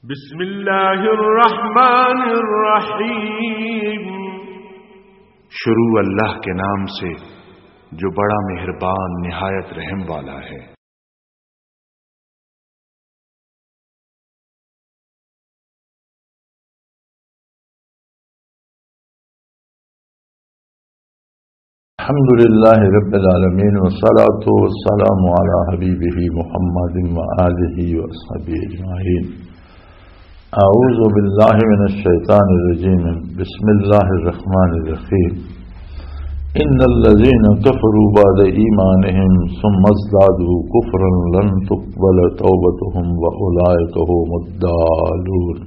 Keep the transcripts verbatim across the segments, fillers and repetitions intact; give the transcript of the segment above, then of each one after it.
بسم اللہ الرحمن الرحیم۔ شروع اللہ کے نام سے جو بڑا مہربان نہایت رحم والا ہے۔ الحمد لله رب العالمين، والصلاة والسلام على حبيبه محمد وآله وصحبه أجمعين. أعوذ بالله من الشيطان الرجيم. بسم الله الرحمن الرحيم. إن الذين كفروا بعد إيمانهم ثم ازدادوا كفرا لن تقبل توبتهم وأولئك هم الضالون.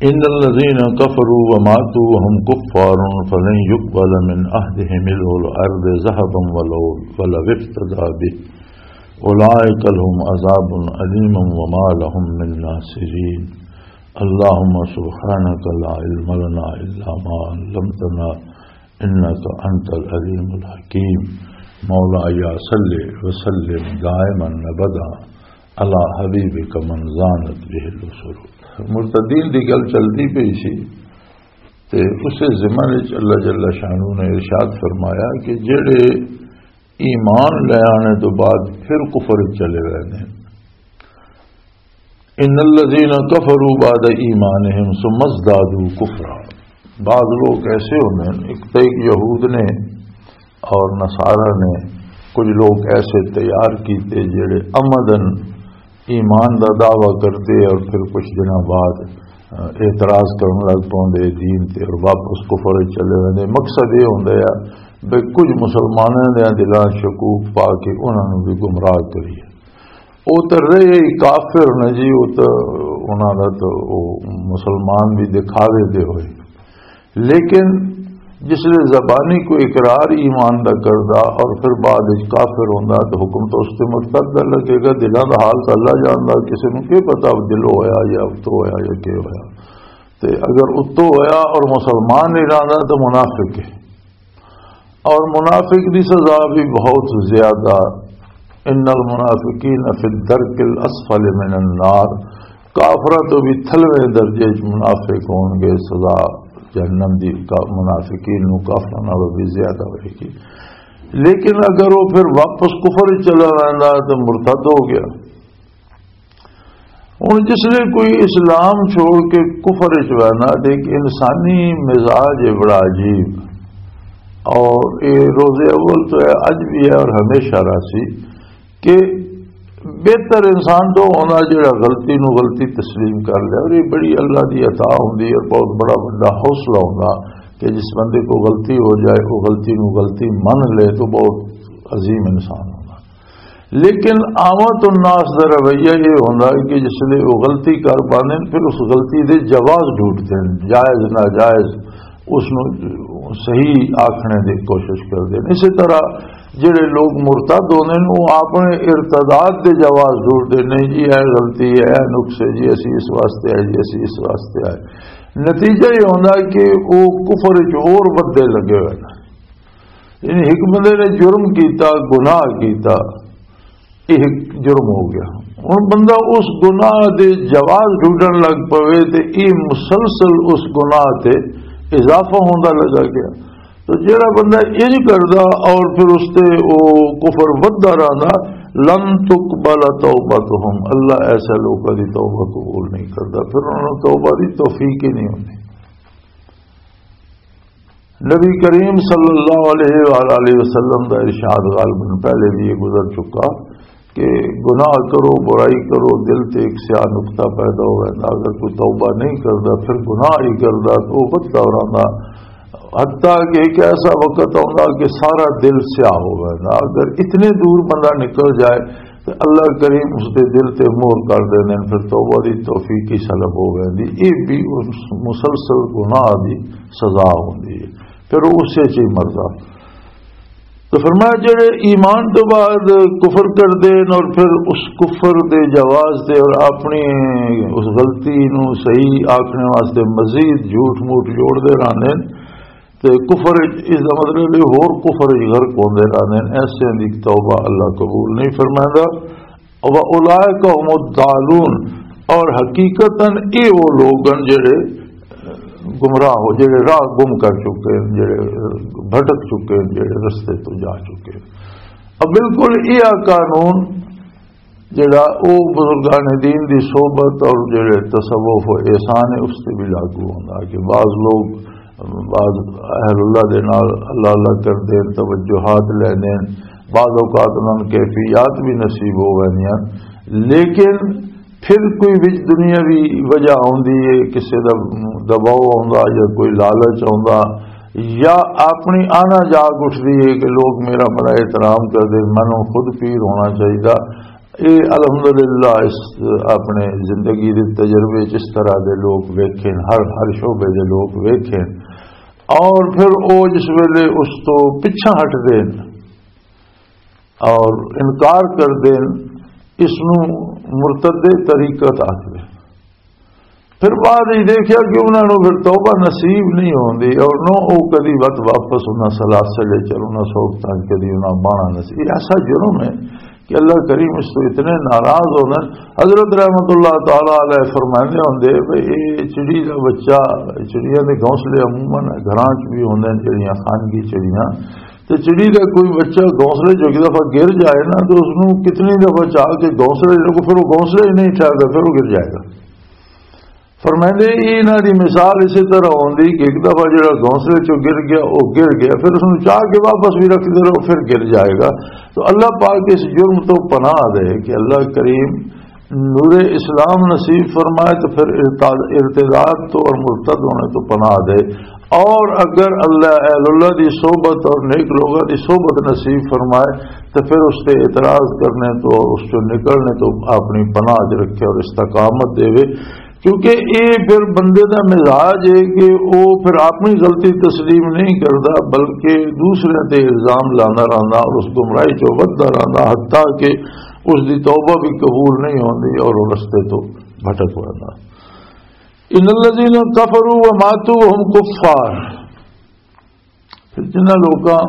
إن الذين كفروا وماتوا وهم كفار فلن يقبل من أحدهم ملء الأرض ذهبا ولو، ولو افتدى به. أولئك لهم عذاب أليم وما لهم من ناصرين. اللهم سبحانك لا علم لنا إلا ما علمتنا إنك أنت العليم الحكيم. مولاي صل وسلم دائما أبدا على حبيبك من زانت به الأسر. مرتدین دی گل چلدی پئی سی، تے اسے ضمن وچ اللہ جل شانہ نے ارشاد فرمایا کہ جڑے ایمان لے آنے تو بعد پھر کفر وچ چلے گئے نے، ان الذین کفروا بعد ایمانہم ثم ازدادوا کفرا۔ بعض لوگ ایسے ہوندے ہیں، ایک تو ایک یہود نے اور نصارہ نے، کچھ لوگ ایسے تیار کیتے جڑے عمدن ایمان دا دعویٰ کرتے اور پھر کچھ دنوں بعد، آ، اعتراض کرن لگ پوندے دین تے اور واپس کفر وچ چلے ویندے۔ مقصد یہ ہوندا ہے بھی کچھ مسلماناں دے دلاں شکوک پا کے انہاں نوں بھی گمراہ کریے۔ او تے رہے ہی کافر نے جی، او تے انہاں دا تے او مسلمان بھی دکھاوے دے ہوئے۔ لیکن جس لے زبانی کو اقرار ایمان دا کردا اور پھر بعد وچ کافر ہوندا، تو حکم تو اس تے مرتد دا لگے گا۔ دلاں دا حال تو اللہ جاندا، کسی نوں کی پتہ دلوں ہویا یا اتوں ہویا یا کی ہویا۔ تے اگر اتوں ہویا اور مسلمان نہیں رہندا تو منافق ہے۔ اور منافق دی سزا بھی بہت زیادہ، ان المنافقین فی الدرک الاسفل من النار، کافراں تو بھی تھلویں درجے وچ منافق ہون گے، سزا جہنم دی کا-، منافقین نو کافراں نالوں بھی زیادہ ہوئے گی۔ لیکن اگر وہ پھر واپس کفر وچ چلا ویندا تو مرتد ہو گیا۔ ہن جس لے کوئی اسلام چھوڑ کے کفر وچ وینا، تے ایک انسانی مزاج ہے بڑا عجیب، اور یہ روز اول تو ہے، اج بھی ہے اور ہمیشہ رہسی کہ بہتر انسان تو ہونا جڑا غلطی نو غلطی تسلیم کر لے، اور یہ بڑی اللہ دی عطا ہوندی ہے، بہت بڑا بڑا حوصلہ ہوندا کہ جس بندے کو غلطی ہو جائے، وہ غلطی نو غلطی من لے تو بہت عظیم انسان ہونا۔ لیکن آمد الناس دا رویہ یہ ہوندا ہے کہ جس لے وہ غلطی کر پاندے نے، پھر اس غلطی دے جواز ڈھونڈدے نے، جائز ناجائز، اس نو صحیح آکھنے دی کوشش کردے نے۔ اسی طرح جڑے لوگ مرتد ہوندے نے، وہ اپنے ارتداد دے جواز ڈھونڈدے نے، جی اے غلطی ہے، اے نقص ہے، جی اسی اس واسطے آئے، جی اسی اس واسطے آئے۔ نتیجہ یہ ہوندا ہے کہ وہ کفر وچ اور ودے لگے ہوئے نے۔ یعنی ایک بندے نے جرم کیتا، گناہ کیتا، یہ ایک جرم ہو گیا۔ ہن بندہ اس گناہ دے جواز ڈھونڈن لگ پوے تے یہ مسلسل اس گناہ تے اضافہ ہوندا لگا گیا۔ تو جڑا بندہ انج کردا اور پھر اس تے او کفر وددا رہندا، لن تقبل توبتہم، اللہ ایسے لوکاں دی توبہ قبول نہیں کردا، پھر انہاں نوں توبہ دی توفیق ہی نہیں ہوندی۔ نبی کریم صلی اللہ علیہ وآلہ وسلم دا ارشاد، غالباً پہلے بھی یہ گزر چکا کہ گناہ کرو، برائی کرو، دل تے ایک سیاہ نقطہ پیدا ہو ویندا۔ اگر کوئی توبہ نہیں کردا، پھر گناہ ہی کردا، تو وہ وددا رہندا، حتیٰ کہ ایک ایسا وقت آوندا کہ سارا دل سیاہ ہو ویندا۔ اگر اتنے دور بندہ نکل جائے تو اللہ کریم اس دے دل تے مہر کر دیندے نے، پھر توبہ دی توفیق ہی سلب ہو ویندی۔ یہ بھی اس مسلسل گناہ دی سزا ہوندی ہے، پھر وہ اسے چ ہی مردا۔ تو فرمایا، جڑے ایمان تو بعد کفر کردے نے اور پھر اس کفر دے جواز تے اور اپنی اس غلطی نو صحیح آکھنے واسطے مزید جھوٹ موٹ جوڑ دے رہندے نے، تے کفر وچ، اس دا مطلب ہے ہور کفر وچ غرق ہوندے رہندے نے، ایسے دی توبہ اللہ قبول نہیں فرمائندا۔ و اولئک هم الضالون، اور حقیقتاً یہ وہ لوگ ہیں جڑے گمراہ ہو، جڑے راہ گم کر چکے ہیں، جڑے بھٹک چکے ہیں، جڑے رستے تو جا چکے ہیں۔ اب بالکل یہ قانون جڑا او بزرگان دین دی صحبت اور جڑے تصوف و احسان ہے، اس تے بھی لاگو ہوندا کہ بعض لوگ، بعض اہل اللہ دے نال اللہ اللہ کردے ہیں، توجہات لیندے ہیں، بعض اوقات انہاں نوں کیفیات بھی نصیب ہو ویندیاں، لیکن پھر کوئی وچ دنیاوی وجہ آوندی ہے، کسے دا دباؤ آوندا یا کوئی لالچ آوندا یا اپنی آنا جاگ اٹھدی ہے کہ لوگ میرا بڑا احترام کردے، مینوں خود پیر ہونا چاہیدا۔ یہ الحمدللہ اس اپنے زندگی دے تجربے چ اس طرح دے لوگ ویکھے، ہر ہر شعبے دے لوگ ویکھے۔ اور پھر او جس ویلے اس تو پچھا ہٹ دین اور انکار کر دین، اس نو مرتد طریقت آکھدے۔ پھر بعد وچ دیکھیا کہ انہاں نوں پھر توبہ نصیب نہیں ہوندی اور نو او کدی وت واپس انہاں سلاسل وچ اور انہاں صحبتاں وچ کدی انہاں باہنا نصیب۔ یہ ایسا جرم ہے کہ اللہ کریم اس تو اتنے ناراض ہوندے۔ حضرت رحمت اللہ تعالی علیہ فرماندے ہوندے کہ یہ چڑی دا بچہ، چڑیاں دے گھونسلے عموماً گھراں چ بھی ہوندے نے، جڑیاں خانگی چڑیاں، تے چڑی دا کوئی بچہ گھونسلے چ ایک دفعہ گر جائے نا، تو اس نوں کتنی دفعہ چاہ کے گھونسلے چ رکھو، پھر وہ گھونسلے ہی نہیں ٹھہردا، پھر وہ گر جائے گا۔ فرمائندے، انہاں دی مثال اسی طرح ہوندی کہ ایک دفعہ جڑا گھونسلے چوں گر گیا، وہ گر گیا، پھر اس نوں چاہ کے واپس بھی رکھدے رہو، پھر گر جائے گا۔ تو اللہ پاک اس جرم تو پناہ دے کہ اللہ کریم نور اسلام نصیب فرمائے، تو پھر ارتداد، ارتداد تو اور مرتد ہونے تو پناہ دے۔ اور اگر اللہ اہل اللہ دی صحبت اور نیک لوگوں دی صحبت نصیب فرمائے، تو پھر اس تے اعتراض کرنے تو اور اس چوں نکلنے تو اپنی پناہ چ رکھے اور استقامت دے۔ کیونکہ یہ پھر بندے دا مزاج ہے کہ وہ پھر اپنی غلطی تسلیم نہیں کردا، بلکہ دوسرے تے الزام لانا رہنا اور اس گمراہی چوں ودھدا رہنا، حتیٰ کہ اس دی توبہ بھی قبول نہیں ہوندی اور وہ رستے تو بھٹک پیندا۔ ان الذین کفروا وماتوا وهم کفار، پھر جنہاں لوکاں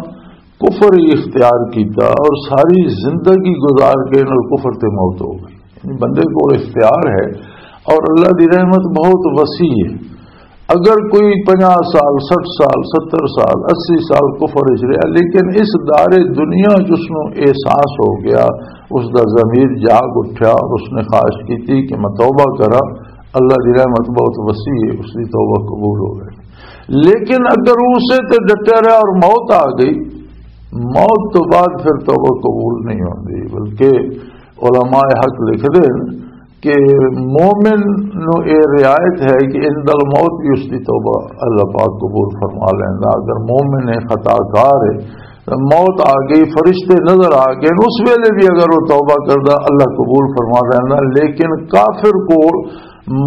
کفر ہی اختیار کیتا اور ساری زندگی گزار کے انہاں کفر تے موت ہو گئی، یعنی بندے کو اختیار ہے اور اللہ دی رحمت بہت وسیع ہے۔ اگر کوئی پنجاہ سال، سٹھ سال، ستر سال، اسی سال کفر وچ رہا، لیکن اس دار دنیا وچ اس نوں احساس ہو گیا، اس دا ضمیر جاگ اٹھیا اور اس نے خواہش کیتی کہ میں توبہ کراں، اللہ دی رحمت بہت وسیع ہے، اس دی توبہ قبول ہو گئی۔ لیکن اگر اسے تے ڈٹیا رہا اور موت آ گئی، موت تو بعد پھر توبہ قبول نہیں ہوندی، بلکہ علماء حق لکھدے ہیں کہ مومن نو اے رعایت ہے کہ عند الموت بھی اس دی توبہ اللہ پاک قبول فرما لیندا۔ اگر مومن ہے، خطا کار ہے، موت آ گئی، فرشتے نظر آ گئے، اس ویلے بھی اگر وہ توبہ کردا، اللہ قبول فرما لیندا۔ لیکن کافر کو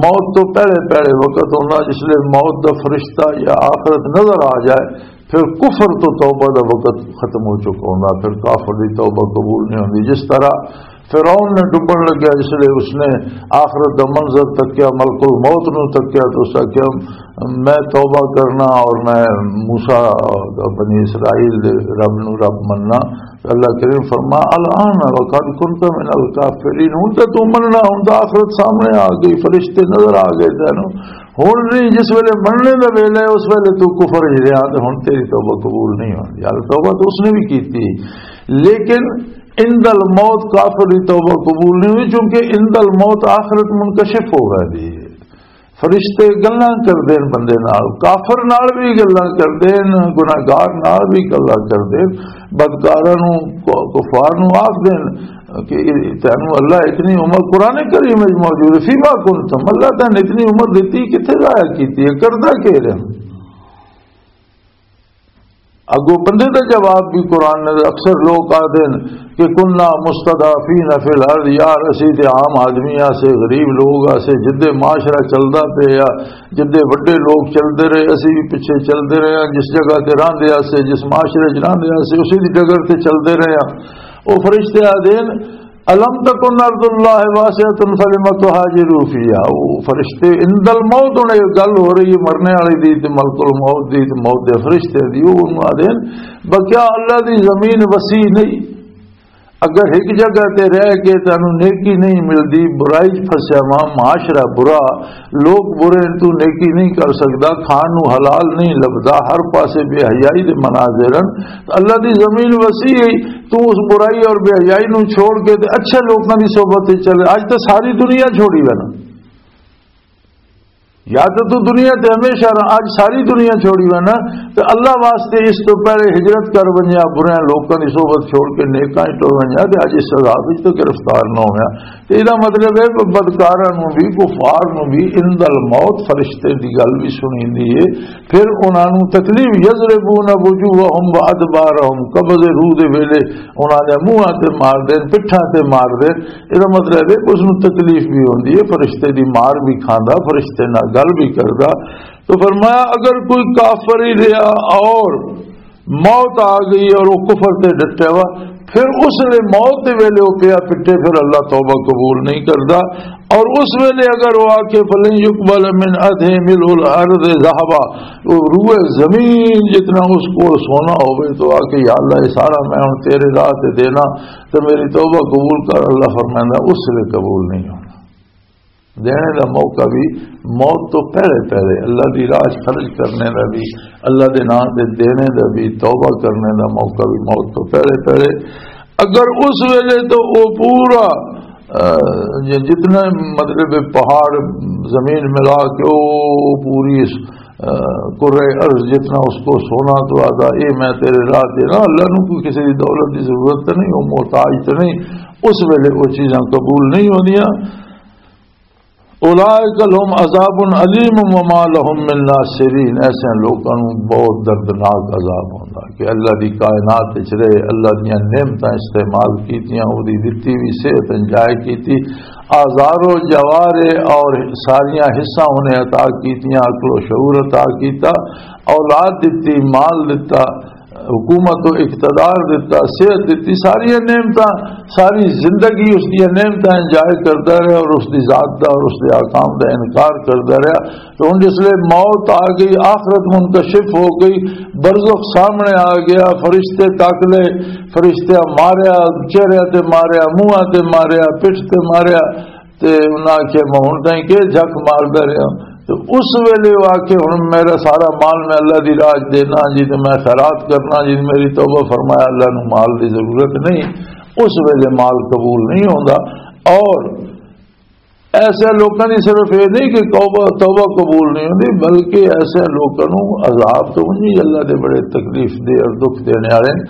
موت تو پہلے پہلے وقت ہوندا، جس لئے موت دا فرشتہ یا آخرت نظر آ جائے، پھر کفر تو توبہ دا وقت ختم ہو چکا ہوندا، پھر کافر دی توبہ قبول نہیں ہوندی۔ جس طرح فرعون نے ڈبن لگیا، جس لئے اس نے آخرت دا منظر تکیا، ملک الموت نو تکیا، تو اس آکھیا، میں توبہ کرنا اور میں موسیٰ، بنی اسرائیل دے رب نو رب مننا۔ اللہ کریم فرما، الآن وقد کنت من الکافرین، ہن تے تو مننا، ہن تے آخرت سامنے آ گئی، فرشتے نظر آ گئے تینوں۔ ہن نہیں، جس ویلے مننے دا ویلا ہے، اس ویلے تو کفر ہی رہا، تے ہن تیری توبہ قبول نہیں ہوندی۔ یار، توبہ تو اس نے بھی کی تھی، لیکن عند الموت کافر دی توبہ قبول نہیں ہوئی، کیونکہ عند الموت آخرت منکشف ہو گئی ہے۔ فرشتے گلاں کردے نے بندے نال، کافر نال بھی گلاں کردے نے، گناہگار نال بھی گلاں کردے نے، بدکاراں نوں، ک-، کفار نوں آکھ دین کہ تینوں اللہ اتنی عمر، قرآن کریم وچ موجود ہے، فیما کنتم، اللہ تینوں اتنی عمر دتی، کتھے ضائع کیتی ہے، کردا کی رہے؟ اگوں بندے دا جواب بھی قرآن نے، اکثر لوگ آدھے نے کہ کننا مستضعفین فی الارض، یار اسی تے عام آدمی آسے، غریب لوگ آسے، جدے معاشرہ چلدا پیا، جدے وڈے لوگ چلدے رہے، اسی بھی پیچھے چلدے رہے ہاں، جس جگہ تے راندے آسے، جس معاشرے چ راندے آسے، اسی دی ڈگر تے چلدے رہے ہاں۔ او فرشتے آدھے نے، الم تکن ارض اللہ واسعۃ فلم تہاجروا فیہا۔ او فرشتے، عند الموت، ہن یہ گل ہو رہی ہے مرنے والے دی تے ملک الموت دی تے موت دے فرشتے دی، او انہوں آدھے نے، بکیا اللہ دی زمین وسیع نہیں؟ اگر ایک جگہ تے رہ کے تانوں نیکی نہیں ملدی، برائی 'چ پھسیا وا، معاشرہ برا، لوگ برے، تو نیکی نہیں کر سکدا، کھان نوں حلال نہیں لبدا، ہر پاسے بے حیائی دے مناظر ہن، تو اللہ دی زمین وسیع ہے، تو اس برائی اور بے حیائی نوں چھوڑ کے تے اچھے لوکاں دی صحبت وچ چلے۔ اج تے ساری دنیا چھوڑی وینا، یا تے تو دنیا تے ہمیشہ رہ، اج ساری دنیا چھوڑی وینا، تے اللہ واسطے اس تو پہلے ہجرت کر ونجا، برے لوکاں دی صحبت چھوڑ کے نیکاں وچ ٹر ونجا، تے اج اس عذاب وچ تو گرفتار نہ ہویا۔ تے ایہدا مطلب ہے کہ بدکاراں نوں بھی، کفار نوں بھی عند الموت فرشتے دی گل بھی سنیندی ہے، پھر انہاں نوں تکلیف، یضربون وجوہہم وادبارہم، قبض روح دے ویلے انہاں دے منہاں تے مار دین، پٹھاں تے مار دین۔ ایہدا مطلب ہے کہ اس نوں تکلیف بھی ہوندی ہے، فرشتے دی مار بھی کھاندا، فرشتے نال گل بھی کردا۔ تو فرمایا، اگر کوئی کافر ہی رہا اور موت آ گئی اور وہ کفر تے ڈٹیا ہوا، پھر اس نے موت دے ویلے وہ پیا پٹے، پھر اللہ توبہ قبول نہیں کردا۔ اور اس ویلے اگر وہ آکھے، "فلن يقبل من أحدهم ملء الأرض ذهبا"، وہ روئے زمین جتنا اس کو سونا ہوئے، تو آکھے، "یا اللہ، یہ سارا میں ہن تیرے راہ تے دینا، تے میری توبہ قبول کر"، اللہ فرمائندا، اس ویلے قبول نہیں ہونا۔ دینے دا موقع بھی موت تو پہلے پہلے، اللہ دی راہ 'چ خرچ کرنے دا بھی، اللہ دے نام تے دینے دا بھی، توبہ کرنے دا موقع بھی موت تو پہلے پہلے۔ اگر اس ویلے تو وہ پورا، آ، یہ جتنا، مطلب، پہاڑ زمین ملا کے وہ پوری اس، آ، کرۂ ارض جتنا اس کو سونا تو آدھا، "اے میں تیرے راہ تے نا، اللہ نو کوئی کسی دی دولت دی ضرورت تے نہیں، وہ محتاج تے نہیں"، اس ویلے وہ چیزاں قبول نہیں ہوندیاں۔ "اولئک لهم عذاب الیم وما لهم من ناصرین"، ایسے لوکاں نوں بہت دردناک عذاب ہوندا کہ اللہ دی کائنات وچ رہے، اللہ دیاں نعمتاں استعمال کیتیاں، او دی دتی بھی صحت انجوائے کیتی، آزار و جوارے اور ساریاں حصہ انہیں عطا کیتیاں، عقل و شعور عطا کیتا، اولاد دتی، مال دتا، حکومت و اقتدار دتا، صحت دتی، ساری نعمتاں، ساری زندگی اس دی نعمتاں انجوائے کردا رہیا اور اس دی ذات دا اور اس دے احکام دا انکار کردا رہیا۔ تو ہن جس لے موت آ گئی، آخرت منکشف ہو گئی، برزخ سامنے آ گیا، فرشتے تک لے، فرشتیاں ماریا، چہرے تے ماریا، منہ تے ماریا، پٹھ تے ماریا، تے انہاں آکھیا، "میں ہن تائیں کہ جھک ماردا رہیا۔" تے اس ویلے وہ آکھے، "ہن میرا سارا مال میں اللہ دی راہ چ دینا جی، تے میں خیرات کرنا جی، میری توبہ فرمایا، اللہ نو مال دی ضرورت نہیں۔" اس ویلے مال قبول نہیں ہوندا۔ اور ایسے لوکاں دی صرف یہ نہیں کہ توبہ، توبہ قبول نہیں ہوندی، بلکہ ایسے لوکاں نو عذاب تو نہیں، اللہ دے بڑے تکلیف دے اور دکھ دینے والے نے۔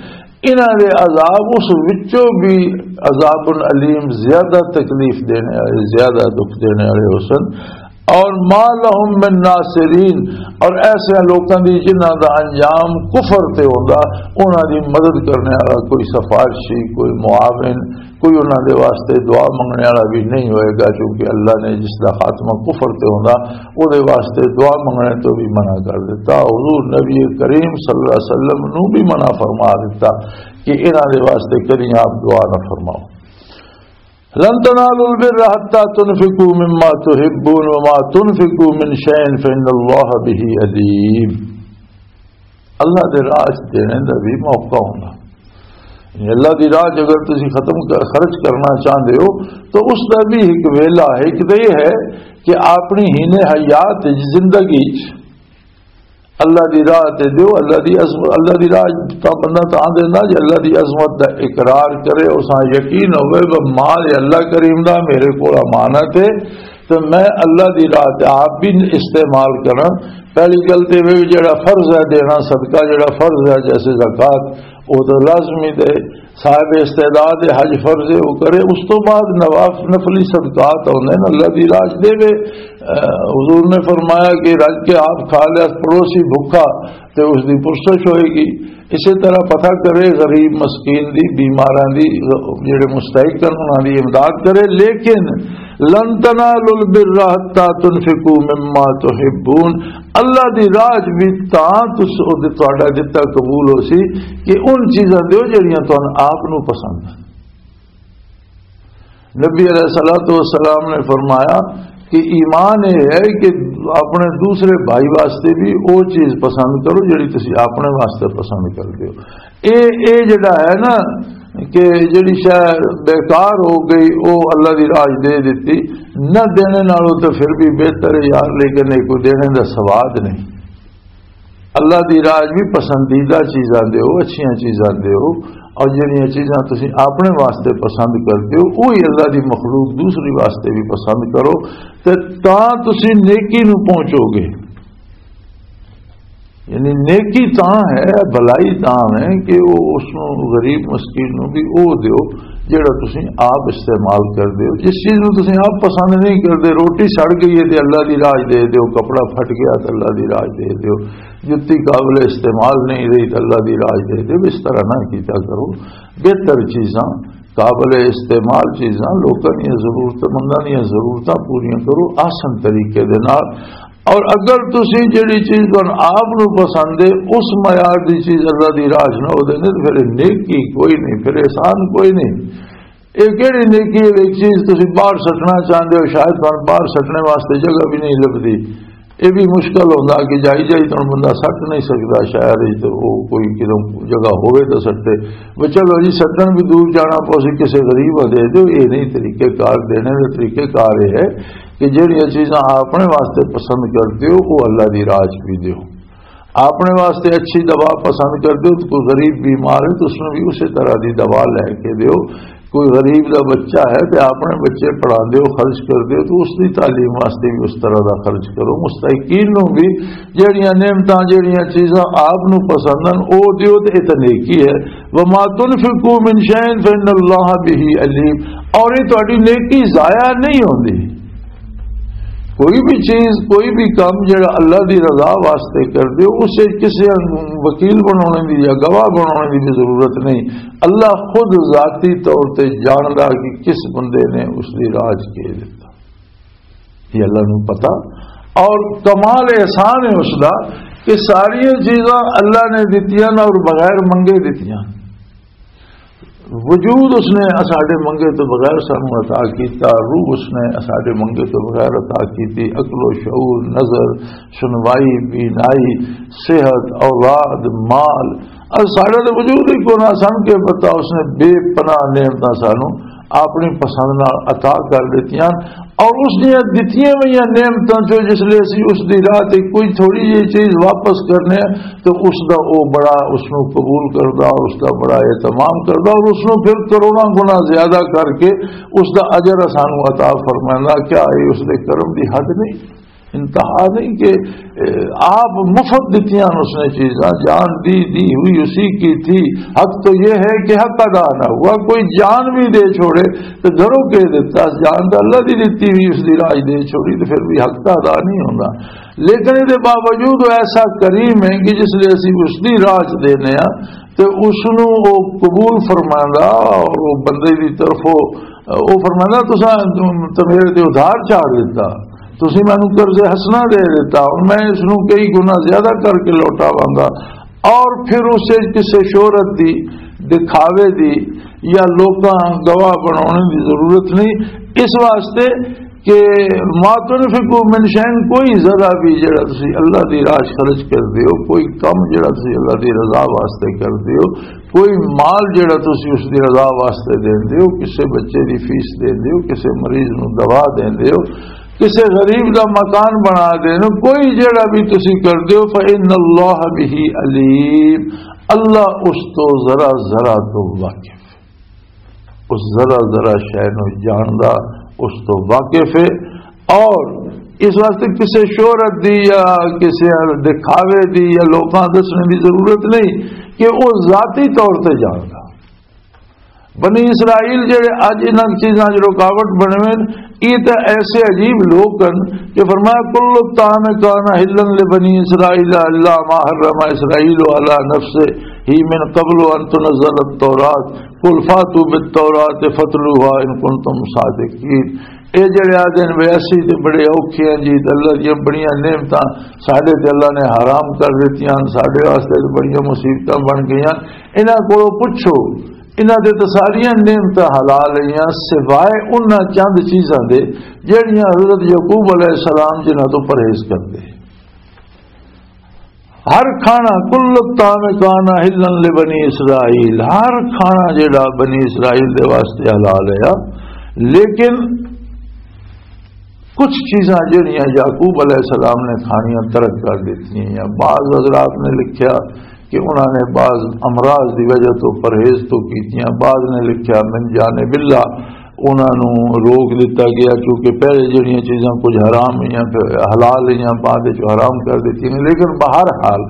انہاں دے عذاب اس وچوں بھی عذاب الیم، زیادہ تکلیف دینے والے، زیادہ دکھ دینے والے ہو سن۔ اور ما لهم من ناصرین، اور ایسے لوکاں دی جنہاں دا انجام کفر تے ہوندا، انہاں دی مدد کرنے والا کوئی سفارشی، کوئی معاون، کوئی انہاں دے واسطے دعا منگنے والا بھی نہیں ہوئے گا، کیونکہ اللہ نے جس دا خاتمہ کفر تے ہوندا، او دے واسطے دعا منگنے تو بھی منع کر دیتا۔ حضور نبی کریم صلی اللہ علیہ وسلم نو بھی منع فرما دیتا کہ انہاں دے واسطے کدی آپ دعا نہ فرماؤ۔ "لن تنالوا البر حتى تنفقوا مما تحبون وما تنفقوا من شيء فإن الله به عليم۔" اللہ دے راہ چ دینے دا بھی موقع ہونا۔ یعنی اللہ دی راہ چ اگر تسی ختم کر، خرچ کرنا چاہندے ہو تو اس دا بھی ایک ویلا ہے، ایک تو یہ ہے کہ اپنی ہینے حیات وچ، زندگی چ اللہ دی راہ تے دیو، اللہ دی عظمت، اللہ دی راہ تاں بندہ تاں دیندا جے اللہ دی عظمت دا اقرار کرے، اس نال یقین ہوے کہ مال اللہ کریم دا میرے کول امانت ہے تے میں اللہ دی راہ تے آپ بھی استعمال کراں۔ پہلی گل تے وی جڑا فرض ہے دینا صدقہ، جڑا فرض ہے جیسے زکوٰۃ، وہ تو لازمی دے، صاحب استعداد ہے، حج فرض ہے، وہ کرے۔ اس تو بعد نواف-، نفلی صدقات ہوندے نے، اللہ دی راہ چ دے وے۔ اے، حضور نے فرمایا کہ رج کے آپ کھا لیا، پڑوسی بھوکا تے اس دی پرسش ہوئے گی۔ اسی طرح پتہ کرے غریب مسکین دی، بیماراں دی، جڑے مستحق ہیں انہاں دی امداد کرے۔ لیکن لن تنالوا البر حتى تنفقوا مما تحبون، اللہ دی راہ چ بھی تاں تس او دے تہاڈا دتا قبول ہو سی کہ ان چیزاں دیو جڑیاں تانوں آپ نو پسند ہیں۔ نبی علیہ الصلوۃ والسلام نے فرمایا کہ ایمان یہ ہے کہ اپنے دوسرے بھائی واسطے بھی وہ چیز پسند کرو جڑی تسی اپنے واسطے پسند کر دیو۔ اے، اے جڑا ہے نا، کہ جڑی شے بیکار ہو گئی، او اللہ دی راج دے دتی، نہ دینے نالوں تے پھر بھی بہتر ہے یار، لیکن یہ کوئی دینے دا سواد نہیں۔ اللہ دی راج بھی پسندیدہ چیزاں دیو، اچھیاں چیزاں دیو، اور جڑیاں چیزاں تسی اپنے واسطے پسند کردے ہو، وہی اللہ دی مخلوق دوسری واسطے بھی پسند کرو، تے تاں تسی نیکی نو پہنچو گے۔ یعنی نیکی تاں ہے، بھلائی تاں ہے کہ وہ اس نو، غریب مسکین نو بھی او دیو جڑا تسی آپ استعمال کر دیو۔ جس چیز نو تسی آپ پسند نہیں کردے، روٹی سڑ گئی ہے تے اللہ دی راج دے دیو، کپڑا پھٹ گیا تے اللہ دی راج دے دیو، جتی قابل استعمال نہیں رہی تے اللہ دی راج دے دیو۔ اس طرح نہ کیتا کرو۔ بہتر چیزاں، قابل استعمال چیزاں، لوکاں دیاں ضرورتاں، منداں دیاں ضرورتاں پوریاں کرو احسن طریقے دے نال۔ اور اگر تسی جڑی چیز تہن آپ نو پسند ہے، اس معیار دی چیز اللہ دی راہ چ نہ ہو دے، تے پھر نیکی کوئی نہیں، پھر احسان کوئی نہیں۔ یہ کہڑی نیکی ہے؟ ایک چیز تسی باہر سٹنا چاہندے ہو، شاید تہن باہر سٹنے واسطے جگہ بھی نہیں لبدی، یہ بھی مشکل ہوندا کہ جائی جائی تہن بندہ سٹ نہیں سکدا، شہر وچ تے او کوئی کدوں جگہ ہوے تاں سٹے۔ وہ چلو جی، سٹن بھی دور جانا پوسی، کسے غریب نوں دے دیو، یہ نہیں طریقے کار۔ دینے دے طریقے کار یہ ہے کہ جہڑیاں چیزاں آپ اپنے واسطے پسند کردے ہو، وہ اللہ دی راہ چ بھی دیو۔ اپنے واسطے اچھی دوا پسند کردے ہو، تو کوئی غریب بیمار ہے تو اس نوں بھی اسی طرح دی دوا لے کے دیو۔ کوئی غریب دا بچہ ہے تے اپنے بچے پڑھاندے ہو، خرچ کردے ہو، تو اس دی تعلیم واسطے بھی اس طرح دا خرچ کرو۔ مستحقین نوں بھی جہڑیاں نعمتاں، جہڑیاں چیزاں آپ نوں پسند ہن، او دیو، تے اے تے نیکی ہے۔ وما تنفقوا من شيء فإن الله به عليم۔ اور یہ تہاڈی نیکی ضائع نہیں ہوندی۔ کوئی بھی چیز، کوئی بھی کام جڑا اللہ دی رضا واسطے کر دیو، اسے کسے وکیل بنانے دی یا گواہ بنانے دی بھی ضرورت نہیں۔ اللہ خود ذاتی طور تے جاندا کہ کس بندے نے اس دی راج کے دیتا، یہ اللہ نوں پتا۔ اور کمال احسان ہے اس دا کہ ساری چیزاں اللہ نے دتیاں اور بغیر منگے دتیاں۔ وجود اس نے اساڈے منگے تو بغیر سانو عطا کیتا، روح اس نے اساڈے منگے تو بغیر عطا کیتی، عقل و شعور، نظر، سنوائی، بینائی، صحت، اولاد، مال، اور ساڈا تو وجود ہی کونا۔ سانو کے پتا اس نے بے پناہ نعمتاں سانو اپنی پسند نال عطا کر دتیاں۔ اور اس دیاں دتیاں ہوئیاں نعمتاں چوں جس لے اسی اس دی راہ تے کوئی تھوڑی جہی چیز واپس کرنے ہیں، تو اس دا او بڑا، اس نو قبول کردا، اس دا بڑا اہتمام کردا اور اس نو پھر کروڑاں گنا زیادہ کر کے اس دا اجر سانو عطا فرمائندا۔ کیا یہ اس دے کرم دی حد نہیں، انتہا نہیں کہ، اے، آپ مفت دتیاں اس نے چیزاں، جان دی دی ہوئی اسی کی تھی۔ حق تو یہ ہے کہ حق ادا نہ ہوا، کوئی جان بھی دے چھوڑے تو گھروں کے دیتا، جان تو اللہ دی دتی ہوئی اس دی راج دے چھوڑی تو پھر بھی حق تو ادا نہیں ہوندا۔ لیکن اس دے باوجود وہ ایسا کریم ہے کہ جس لے اسی اس دی راج دینے ہاں تے اس نو وہ قبول فرماندا اور وہ بندے دی طرفوں وہ فرماندا، "تساں تے میرے تے ادھار چاڑ دیتا، تسی مینوں قرض حسنہ دے دیتا، اور میں اس نو کئی گنا زیادہ کر کے لوٹاواں گا۔" اور پھر اسے کسے شہرت دی، دکھاوے دی یا لوکاں گواہ بنانے دی ضرورت نہیں۔ اس واسطے کہ ما تنفقوا من شيء، کوئی ذرا بھی جڑا تسی اللہ دی راہ خرچ کر دیو، کوئی کم جڑا تسی اللہ دی رضا واسطے کر دیو، کوئی مال جڑا تسی اس دی رضا واسطے دیندے ہو، کسے بچے دی فیس دیندے ہو، کسے مریض نو دوا دیندے ہو، کسے غریب دا مکان بنا دیندے ہو، کوئی جڑا بھی تسی کر دیو، فإن الله به عليم، اللہ اس تو ذرا ذرا تو واقف، اس ذرا ذرا شے نو جاندا، اس تو واقف ہے۔ اور اس واسطے کسے شہرت دی یا کسے دکھاوے دی یا لوکاں دسنے دی ضرورت نہیں کہ وہ ذاتی طور تے جاندا۔ بنی اسرائیل جڑے اج انہاں چیزاں 'چ رکاوٹ بنے ہوئے نے، یہ تے ایسے عجیب لوگ ہیں کہ فرمایا، "کل الطعام کان حلا لبنی اسرائیل الا ما حرم اسرائیل علی نفسہ من قبل ان تنزل التوراۃ، قل فاتوا بالتوراۃ فاتلوها ان کنتم صادقین۔" اے جڑے آدھے نے، "ویسے تے بڑے اوکھے ہیں جی، تے اللہ دیاں بڑیاں نعمتاں ساڈے تے اللہ نے حرام کر دتیاں، ساڈے واسطے تے بڑیاں مصیبتاں بن گئیاں۔" انہاں کولوں پچھو، انہاں دے تے ساریاں نعمتاں حلال ہیاں، سوائے انہاں چند چیزاں دے جڑیاں حضرت یعقوب علیہ السلام جنہاں تو پرہیز کردے۔ ہر کھانا، کل الطعام کان حلا لبنی اسرائیل، ہر کھانا جڑا بنی اسرائیل دے واسطے حلال ہے۔ لیکن کچھ چیزاں جڑیاں یعقوب علیہ السلام نے کھانیاں ترک کر دتیاں، یا بعض حضرات نے لکھیا کہ انہوں نے بعض امراض دی وجہ تو پرہیز تو کیتیاں، بعض نے لکھیا من جانب اللہ انہاں نوں روک دتا گیا، کیونکہ پہلے جڑیاں چیزاں کچھ حرام ہوئیاں، پھر حلال ہوئیاں، بعد وچ حرام کر دتیاں گئیاں۔ لیکن بہرحال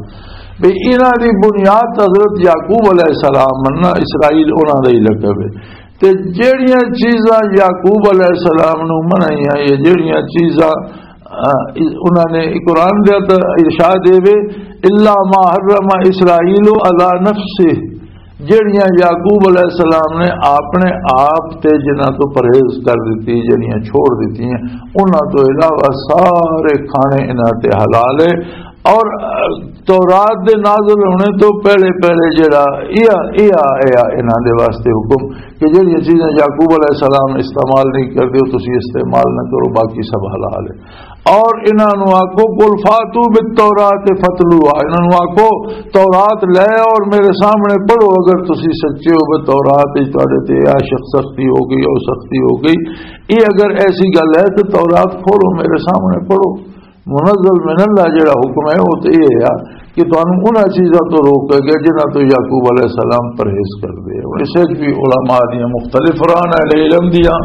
بھی انہاں دی بنیاد حضرت یعقوب علیہ السلام مننا، اسرائیل انہاں دا ہی لقب ہے۔ تے جڑیاں چیزاں یعقوب علیہ السلام نوں منعیاں، یہ جڑیاں چیزاں، آ، انہاں نے قرآن دے تو ارشاد دے وے، الا ما حرم اسرائیل علی نفسہ، جڑیاں یعقوب علیہ السلام نے اپنے آپ تے جنہاں تو پرہیز کر دتی، جڑیاں چھوڑ دتی ہیں، انہاں تو علاوہ سارے کھانے انہاں تے حلال ہے۔ اور، آ، تورات دے نازل ہونے تو پہلے پہلے جڑا یہ یہ آیا انہاں دے واسطے حکم کہ جڑیاں چیزاں یعقوب علیہ السلام استعمال نہیں کردے، وہ تسی استعمال نہ کرو، باقی سب حلال ہے۔ اور انہاں نوں آکھو، "قل فاتوا بالتوراۃ فاتلوها"، انہاں نوں آکھو، "تورات لے آؤ اور میرے سامنے پڑھو، اگر تسی سچے ہو، بھی تورات وچ تہاڈے تے یہ شخص سختی ہو گئی، او سختی ہو گئی، یہ اگر ایسی گل ہے تو تورات کھولو، میرے سامنے پڑھو۔" منزل من اللہ جڑا حکم ہے، وہ تو یہ ہے کہ تانوں انہاں چیزاں تو روکیا گیا جنہاں تو یعقوب علیہ السلام پرہیز کردے۔ اور اس وچ بھی علماء دیاں مختلف رائے نے علم دیاں۔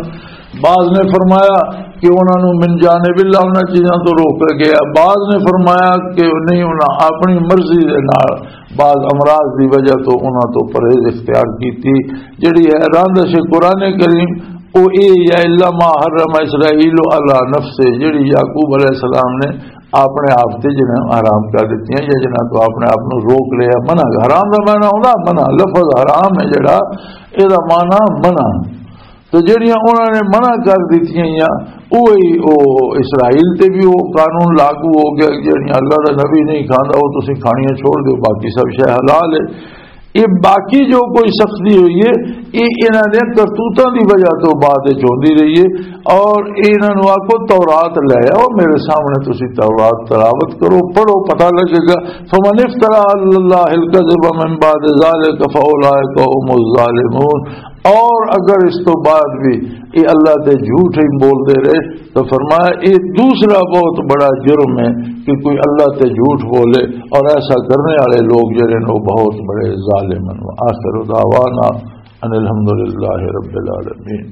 بعض نے فرمایا کہ انہاں نوں من جانب اللہ انہاں چیزاں تو روکیا گیا، بعض نے فرمایا کہ نہیں، انہاں اپنی مرضی دے نال بعض امراض دی وجہ تو انہاں تو پرہیز اختیار کیتی۔ جڑی ہے راندش قرآن کریم، او اے یا الا ما حرم اسرائیل علی نفسہ، جڑی یعقوب علیہ السلام نے اپنے آپ تے جنہاں حرام کر دتیاں یا جنہاں تو اپنے آپ نوں روک لیا۔ منع، حرام دا معنی ہوندا منع، لفظ حرام ہے جڑا، اے دا معنی منع۔ تو جڑیاں انہاں نے منع کر دتیاں یا اوہی او اسرائیل تے بھی وہ قانون لاگو ہو گیا کہ جڑیاں اللہ دا نبی نہیں کھاندا، وہ تسی کھانیاں چھوڑ دیو، باقی سب شے حلال ہے۔ یہ باقی جو کوئی سختی ہوئی ہے، یہ انہاں دے کرتوتاں دی وجہ تو بعد وچ ہوندی رہی ہے۔ اور انہاں نوں آکھو، "تورات لے آؤ میرے سامنے، تسی تورات تلاوت کرو، پڑھو، پتہ لگے گا۔" "فمن افترى على الله الكذب من بعد ذلك فأولئك هم الظالمون۔" اور اگر اس تو بعد بھی یہ اللہ تے جھوٹ ہی بول دے رہے، تو فرمایا، یہ دوسرا بہت بڑا جرم ہے کہ کوئی اللہ تے جھوٹ بولے، اور ایسا کرنے والے لوگ جڑے نے، وہ بہت بڑے ظالم ہیں۔ وآخر دعوانا ان الحمد للہ رب العالمین۔